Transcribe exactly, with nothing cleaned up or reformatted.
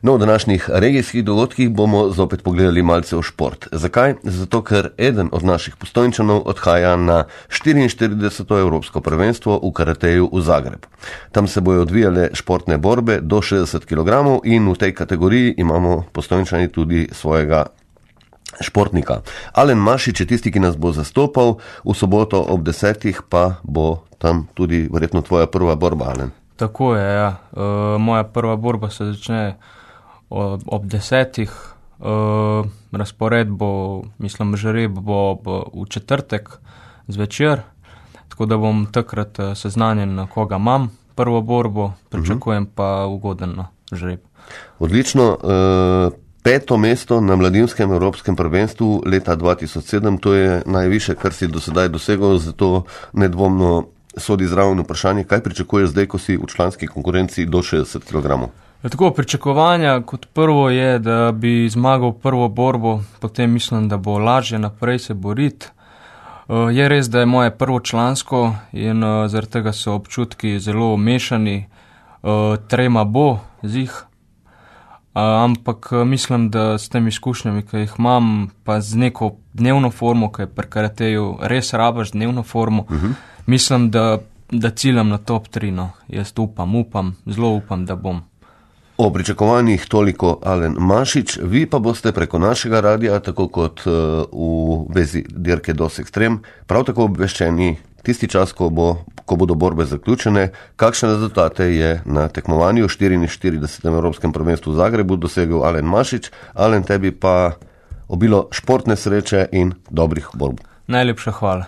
No, v današnjih regijskih dogodkih bomo zopet pogledali malce v šport. Zakaj? Zato, ker eden od naših Postojnčanov odhaja na štiriinštirideseto evropsko prvenstvo v karateju v Zagreb. Tam se bojo odvijale športne borbe do šestdeset kilogramov in v tej kategoriji imamo Postojnčani tudi svojega športnika. Alen Mašič je tisti, ki nas bo zastopal, v soboto ob desetih pa bo tam tudi verjetno tvoja prva borba, Alen. Tako je, ja. E, moja prva borba se začne ob, ob desetih. E, razpored bo, mislim, žreb bo, bo v četrtek zvečer, tako da bom takrat seznanjen, na koga imam prvo borbo, pričakujem pa ugoden žreb. Odlično. E, Peto mesto na mladinskem evropskem prvenstvu leta dva tisoč sedem, to je najviše, kar si do sedaj dosegel, zato nedvomno sodi zraven vprašanje, kaj pričakuješ zdaj, ko si v članski konkurenci do šestdeset kilogramov? Tako, pričakovanja kot prvo je, da bi zmagal prvo borbo, potem mislim, da bo lažje naprej se boriti. Je res, da je moje prvo člansko in zaradi tega so občutki zelo mešani, trema bo zih. Uh, ampak mislim, da s temi izkušnjami, ki jih imam, pa z neko dnevno formo, ki je pri karateju res rabaš dnevno formo, uh-huh. mislim, da, da ciljam na top tri. No. Jaz upam, upam, zelo upam, da bom. O pričakovanjih toliko Alen Mašič, vi pa boste preko našega radia, tako kot uh, v vezi dirke Dos Extrem, prav tako obveščeni tisti čas, ko, bo, ko bodo borbe zaključene, kakšne rezultate je na tekmovanju štiriinštiridesetem evropskem prvenstvu v Zagrebu dosegel Alen Mašič. Alen, tebi pa obilo športne sreče in dobrih borb. Najlepša hvala.